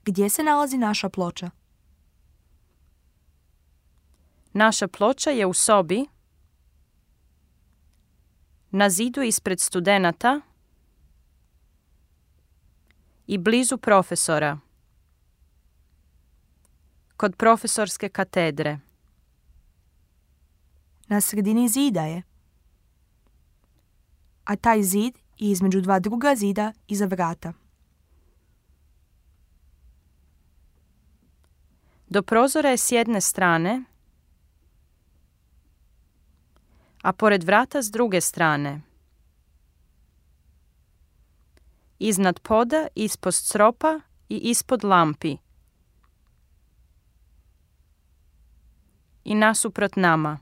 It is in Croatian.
Gdje se nalazi naša ploča? Naša ploča je u sobi, na zidu ispred studenata i blizu profesora, kod profesorske katedre. Na sredini zida je. A taj zid je između dva druga zida iza vrata. Do prozora je s jedne strane, a pored vrata s druge strane. Iznad poda, ispod stropa i ispod lampi. I nasuprot nama.